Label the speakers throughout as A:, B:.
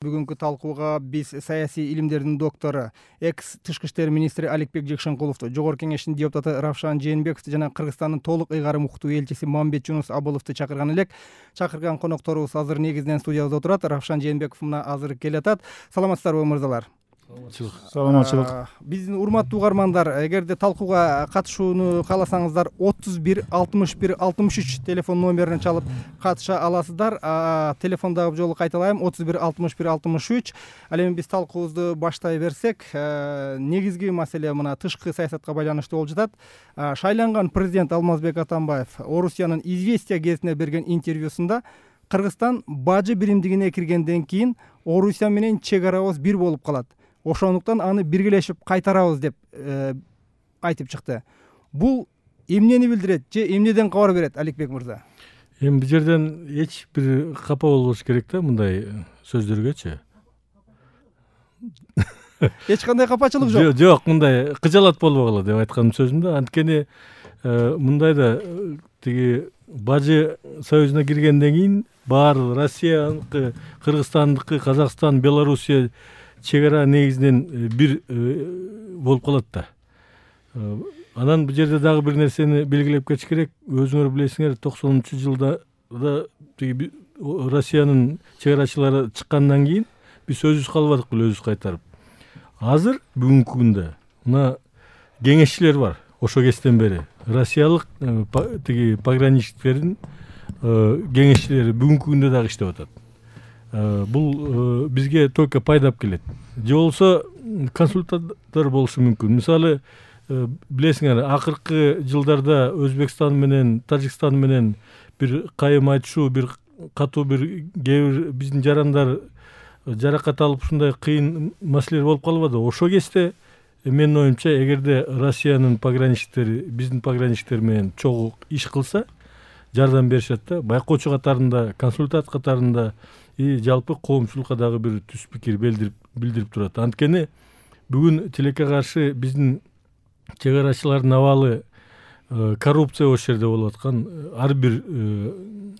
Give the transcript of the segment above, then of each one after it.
A: Бүгүнкү талкууга биз саясий илимдердин доктору, экс тышкы иштер министри Аликбек Жекшенкуловду, Жогорку Кеңештин депутаты Равшан Жээнбековду жана Кыргызстандын толук ыйгарым уктуу элчиси Мамбет Жунус Абыловду чакырган элек. Чакырган конокторубуз азыр негизинен студиябызда отурат. Равшан Жээнбеков мына азыр келатат. Саламатсыздарбы мырзалар?
B: Саламатчылык.
A: Биздин урматтуу угармандар, эгерде талкууга катышууну кааласаңыздар 31 61 63 телефон номерин чалып катыша аласыздар. Телефондогу жолу кайталайм: 31 61 63. Ал эми биз талкуубузду баштай берсек, негизги маселе мына тышкы саясатка байланыштуу болуп жатат. Шайланган президент Алмазбек Атамбаев Орусиянын «Известия» гезитине берген интервьюсунда Кыргызстан бажы биримдигине киргенден кийин Орусия менен чек арабыз бир болуп калат. Ошондуктан аны биргелешип кайтарабыз деп айтып чыкты. Бул эмнени билдирет же эмнеден кабар берет, Аликбек мырза?
B: Эми бул жерден эч бир капа болбош керек да мындай сөздөргөчү.
A: Эч кандай капачылык жок.
B: Жок, мындай кыжалат болбогула деп айткан сөзүмдө. Анткени мындайда тиги бажы союзуна киргенден кийин баары Россияныкы, Кыргызстандыкы, Казакстан, Белоруссия чек ара негизинен бир болуп калат да. Анан бул жерде дагы бир нерсени белгилеп кетиш керек. Өзүңөр билесиңер, 90-жылда тиги Россиянын чек арачылары чыккандан кийин биз өзүбүз калбадык беле, өзүбүз кайтарып. Азыр бүгүнкү күндө мына кеңешчилер бар. Ошо кезден бери Россиялык тиги пограничниктердин кеңешчилери бүгүнкү күндө дагы иштеп атат. Бул бизге только пайдап келет. Же болсо консультанттар болушу мүмкүн. Мисалы, билесиңер, акыркы жылдарда Өзбекстан менен Тажикстан менен бир кайым айтышуу, бир катуу бир кээ бир биздин жарандар жаракат алып ушундай кыйын маселелер болуп калбады. Ошо кезде менин оюмча, эгерде Россиянын пограничниктери биздин пограничниктер менен чогуу иш кылса, жардам беришет да. Байкоочу катарында, консультант катарында жалпы коомчулукка дагы бир түз пикир билдирип турат. Анткени бүгүн тилекке каршы биздин чек арачылардын абалы коррупция ошол жерде болуп аткан ар бир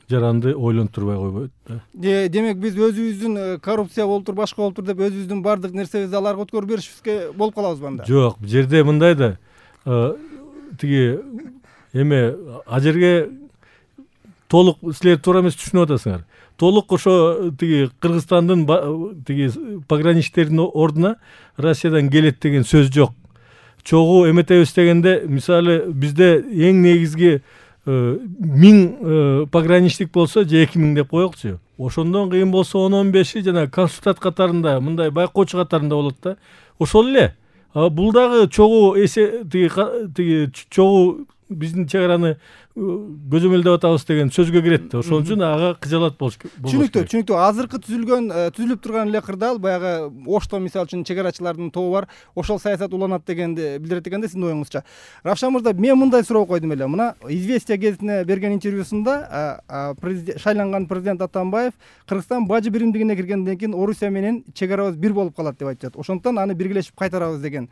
B: жаранды ойлонтурбай койбойт да.
A: Демек биз өзүбүздүн коррупция болуптур, башка болуптур деп өзүбүздүн бардык нерсебизди аларга өткөрүп беришибизге болуп калабызбы анда?
B: Жок, бул жерде мындай да, тиги эме ал жерге толук силер туура эмес түшүнүп атасыңар. Толук ошо тиги Кыргызстандын тиги пограничниктердин ордуна Россиядан келет деген сөз жок. Чогуу эметебиз дегенде, мисалы, бизде эң негизги 1000 пограничник болсо же 2000 деп коелучу. Ошондон кыйын болсо 10-15 жана консультант катарында, мындай байкоочу катарында болот да. Ошол эле. Бул дагы чогуу тиги чогуу биздин чек араны көзөмөлдөп атабыз деген сөзгө кирет да. Ошон үчүн ага кыжалат болуш керек.
A: Түшүнүктүү. Азыркы түзүлүп турган эле кырдаал баягы Ошто мисалы үчүн чек арачылардын тобу бар. Ошол саясат уланат дегенди билдирет экенде, сиздин оюңузча. Равшан мырза, мен мындай суроо койдум эле. Мына «Известия» гезитине берген интервьюсунда шайланган президент Атамбаев Кыргызстан бажы биримдигине киргенден кийин Орусия менен чек арабыз бир болуп калат деп айтып жатат. Ошондуктан аны биргелешип кайтарабыз деген.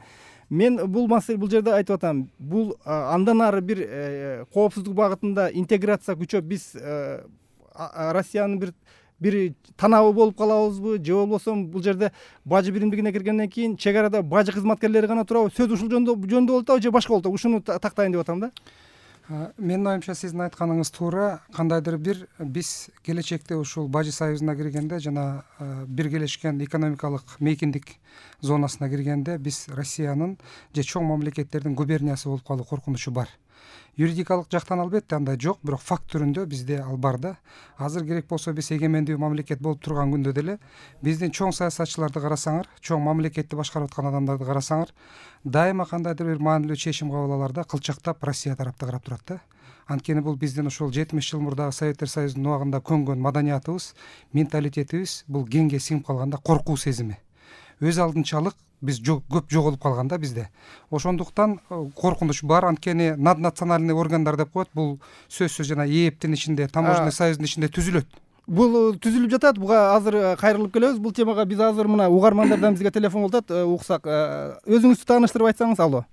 A: Мен бул жерде айтып атам, бул андан ары бир коопсуздук багытында интеграция күчөп биз Россиянын бир танабы болуп калабызбы, же болбосо бул жерде бажы биримдигине киргенден кийин чек арада бажы кызматкерлери гана турабы? Сөз ушул жөндө болуп атабы же башка болуп атабы? Ушуну тактайын деп атам да.
C: Менин оюмча, сиздин айтканыңыз туура. Кандайдыр бир биз келечекте ушул бажы союзуна киргенде жана биргелешкен экономикалык мейкиндик зонасына киргенде биз Россиянын же чоң мамлекеттердин губерниясы болуп калуу коркунучу бар. Юридикалык жактан албетте андай жок, бирок факт түрүндө бизде ал бар да. Азыр керек болсо биз эгемендүү мамлекет болуп турган күндө деле биздин чоң саясатчыларды карасаңар, чоң мамлекетти башкарып аткан адамдарды карасаңар, дайыма кандайдыр бир маанилүү чечим кабыл алаарда кылчактап Россия тарапты карап турат да. Анткени бул биздин ошол 70 жыл мурдагы Советтер Союзунун убагында көнгөн маданиятыбыз, менталитетибиз бул кеңге сиңип калганда коркуу сезими. Өз алдынчалык биз көп жоголуп калганда бизде. Ошондуктан коркунуч бар. Анткени наднациональный органдар деп коет. Бул сөзсүз жана ээптин ичинде, таможенный союздун ичинде түзүлөт.
A: Бул түзүлүп жатат. Буга азыр кайрылып келебиз. Бул темага биз азыр мына угармандардан бизге телефон болуп атат, уксак. Өзүңүздү тааныштырып айтсаңыз. Алло,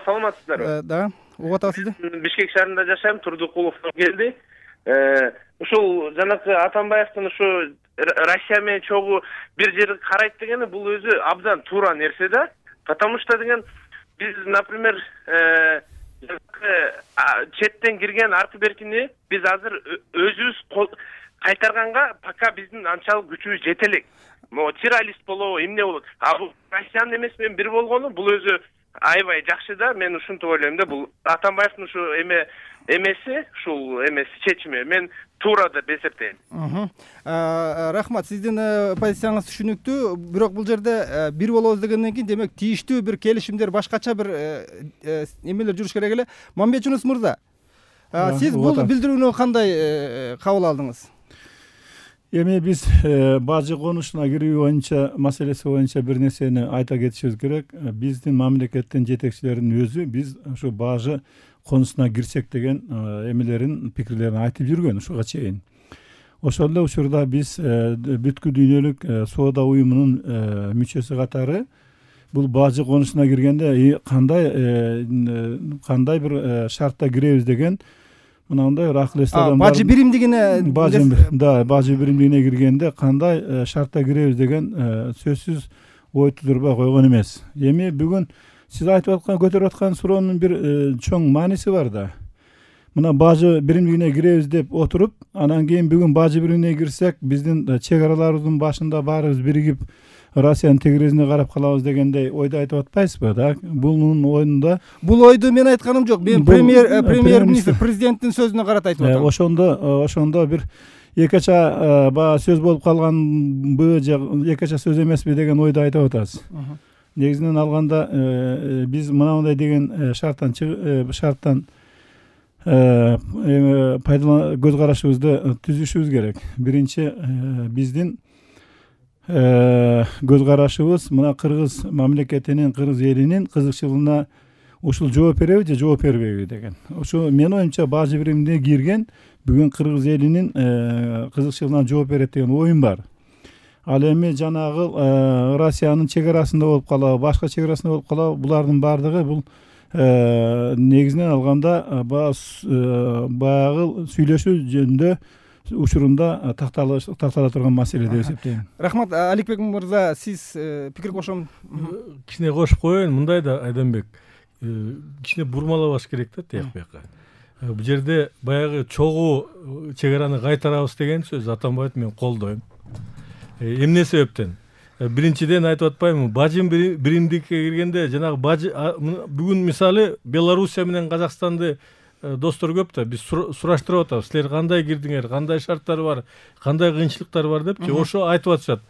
D: саламатсыздарбы?
A: Да, угуп атабыз сизди.
D: Бишкек шаарында жашайм, Турдукуловдон келди. Ушул жанакы Атамбаевдин ушу Россия менен чогуу бир жерге карайт дегени бул өзү абдан туура нерсе да. Потому что деген биз, например, четтен кирген аркы беркини биз азыр өзүбүз кайтарганга пока биздин анчалык күчүбүз жете элек. Могу террорист болобу, эмне болот. А бул Россиянын эмеси менен бир болгону бул өзү аябай жакшы да. Мен ушинтип ойлойм да. Бул Атамбаевдин ушу эмеси, ушул эмеси чечими мен туура деп эсептейм.
A: Рахмат, сиздин позицияңыз түшүнүктүү. Бирок бул жерде бир болобуз дегенден кийин демек тийиштүү бир келишимдер, башкача бир эмелер жүрүш керек эле. Мамбет Жунус мырза, сиз бул билдирүүнү кандай кабыл алдыңыз?
E: Эми биз бажы конушуна кирүү боюнча маселеси боюнча бир нерсени айта кетишибиз керек. Биздин мамлекеттин жетекчилеринин өзү биз ушу бажы конусуна кирсек деген эмелерин, пикирлерин айтып жүргөн ушуга чейин. Ошол эле учурда биз бүткүл дүйнөлүк соода уюмунун мүчөсү катары бул бажы конусуна киргенде кандай бир шартта киребиз деген мынандай акыл эстен
A: бажы биримдигине
E: бажы биримдигине киргенде кандай шартта киребиз деген сөзсүз ой тудурбай койгон эмес. Эми бүгүн сиз айтып аткан, көтөрүп аткан суроонун бир чоң мааниси бар да. Мына бажы биримдигине киребиз деп отуруп, анан кийин бүгүн бажы биримдигине кирсек, биздин чек араларыбыздын башында баарыбыз биригип Россиянын тегерезине карап калабыз дегендей ойду айтып атпайсызбы? Так, бунун оюнда
A: бул ойду мен айтканым жок. Мен премьер-министр президенттин сөзүнө карата айтып атам.
E: Ошондо бир экеча баягы сөз болуп калганбы же экеча сөз эмеспи деген ойду айтып атасыз. Негизинен алганда биз мынандай деген шарттан көз карашыбызды түзүшүбүз керек. Биринчи биздин көз карашыбыз мына кыргыз мамлекетинин, кыргыз элинин кызыкчылыгына ушул жооп береби же жооп бербейби деген. Ошо менин оюмча бажы биримине кирген бүгүн кыргыз элинин кызыкчылыгына жооп берет деген оюм бар. Ал эми жанагы Россиянын чек арасында болуп калабы, башка чек арасында болуп калабы, булардын баардыгы бул негизинен алганда баягы сүйлөшүү жөнүндө учурунда тактала турган маселе деп эсептейм.
A: Рахмат, Аликбек мырза, сиз пикир кошом.
B: Кичине кошуп коеюн, мындай да Айданбек, кичине бурмалабаш керек да тияк бияка. Бул жерде баягы чогуу чек араны кайтарабыз деген сөз Атамбаевди мен колдойм. Эмне себептен? Биринчиден айтып атпаймынбы, бажы биримдикке киргенде жанагы бажы бүгүн мисалы Белоруссия менен Казакстанды достор көп да, биз сураштырып атабыз. Силер кандай кирдиңер, кандай шарттар бар, кандай кыйынчылыктар бар депчи, ошо айтып атышат.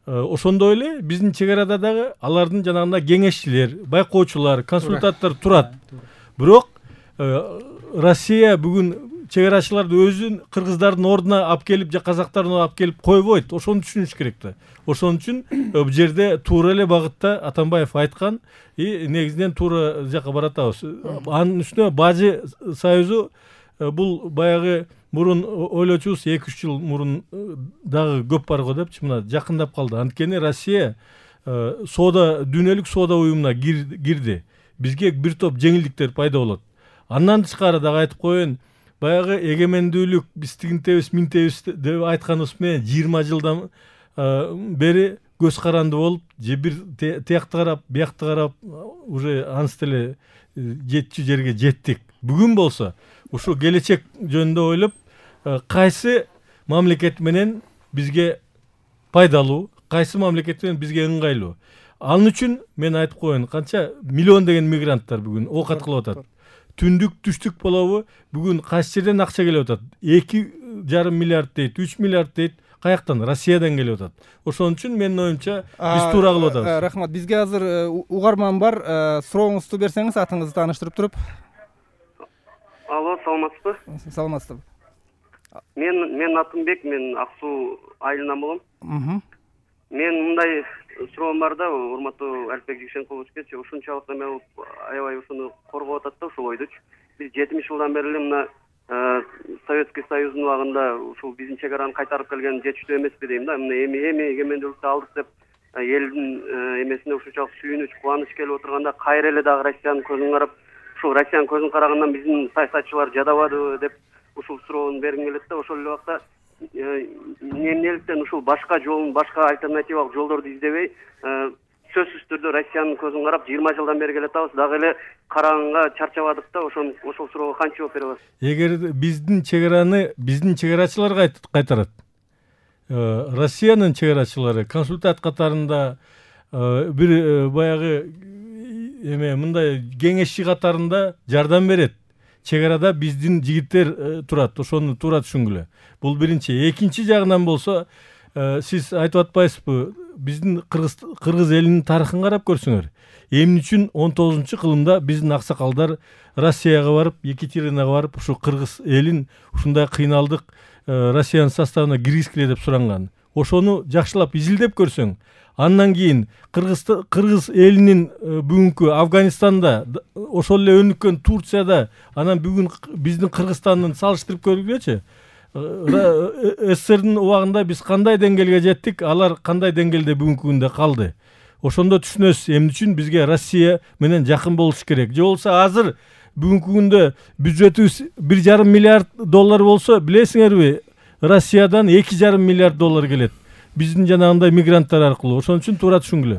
B: Ошондой эле биздин чек арада дагы алардын жанагындай кеңешчилер, байкоочулар, консультанттар турат. Бирок Россия бүгүн чек арачыларды өзүн кыргыздардын ордуна алып келип же казактардын ордуна алып келип койбойт. Ошону түшүнүш керек да. Ошон үчүн бул жерде туура эле багытта Атамбаев айткан негизинен туура жака баратабыз. Анын үстүнө бажы союзу бул баягы мурун ойлочубуз 2-3 жыл мурун дагы көп бар го депчи, мына жакындап калды. Анткени Россия дүйнөлүк соода уюмуна кирди. Бизге бир топ жеңилдиктер пайда болот. Андан тышкары дагы айтып коеюн, баягы эгемендүүлүк биз тигинтебиз, минтебиз деп айтканыбыз менен 20 жылдан бери көз каранды болуп, же бир тиякты карап, биякты карап, уже аныс деле жетчү жерге жеттик. Бүгүн болсо ушу келечек жөнүндө ойлоп, кайсы мамлекет менен бизге пайдалуу, кайсы мамлекет менен бизге ыңгайлуу. Анын үчүн мен айтып коеюн, канча миллион деген мигранттар бүгүн оокат кылып атат. Түндүк, түштүк болобу, бүгүн кайсы жерден акча келип атат? 2,5 миллиард дейт, 3 миллиард дейт. Каяктан? Россиядан келип атат. Ошон үчүн менин оюмча биз туура кылып атабыз.
A: Рахмат. Бизге азыр угарман бар. Сурооңузду берсеңиз, атыңызды тааныштырып туруп.
F: Алло, саламатсызбы?
A: Саламатсызбы.
F: Мен Атымбек, мен Ак Суу айылынан болом. Мен мындай суроом бар да, урматтуу Аликбек Жигишенкуловичке, ушунчалык эме болуп, аябай ушуну коргоп атат да ушул ойдучу. Биз 70 жылдан бери эле мына Советский Союздун убагында ушул биздин чек араны кайтарып келген жетиштүү эмеспи дейм да. Мына эми эгемендүүлүктү алдык деп элдин эмесине ушунчалык сүйүнүч, кубаныч келип отурганда кайра эле дагы Россиянын көзүн карап, ушул Россиянын көзүн карагандан биздин саясатчылар жадабадыбы деп ушул суроону бергим келет да. Ошол эле убакта эмнеликтен ушул башка жолун, башка альтернативалык жолдорду издебей, сөзсүз түрдө Россиянын көзүн карап 20 жылдан бери келатабыз, дагы эле караганга чарчабадык да. Ошол суроого кантип жооп бере аласыз?
B: Эгер биздин чегараны биздин чегарачылар кайтарат, Россиянын чегарачылары консультант катарында бир баягы мындай кеңешчи катарында жардам берет. Чегарада биздин жигиттер турат, ошону туура түшүнгүлө. Бул биринчи. Экинчи жагынан болсо, сиз айтып атпайсызбы, биздин кыргыз элинин тарыхын карап көрсөңөр. Эмне үчүн 19-кылымда биздин аксакалдар Россияга барып, Екатеринага барып, ушу кыргыз элин ушундай кыйналдык Россиянын составына киргизгиле деп суранган. Ошону жакшылап изилдеп көрсөң, андан кийин кыргыз элинин бүгүнкү Афганистанда, ошол эле өнүккөн Турцияда, анан бүгүн биздин Кыргызстандын салыштырып көргүлөчү. СССРдин убагында биз кандай деңгээлге жеттик, алар кандай деңгээлде бүгүнкү күндө калды. Ошондо түшүнөсүз эмне үчүн бизге Россия менен жакын болуш керек. Же болсо азыр бүгүнкү күндө бюджетибиз $1,5 миллиард болсо, билесиңерби, Россиядан $2,5 миллиард келет. Биздин жанагындай мигранттар аркылуу. Ошон үчүн туура түшүнгүлө.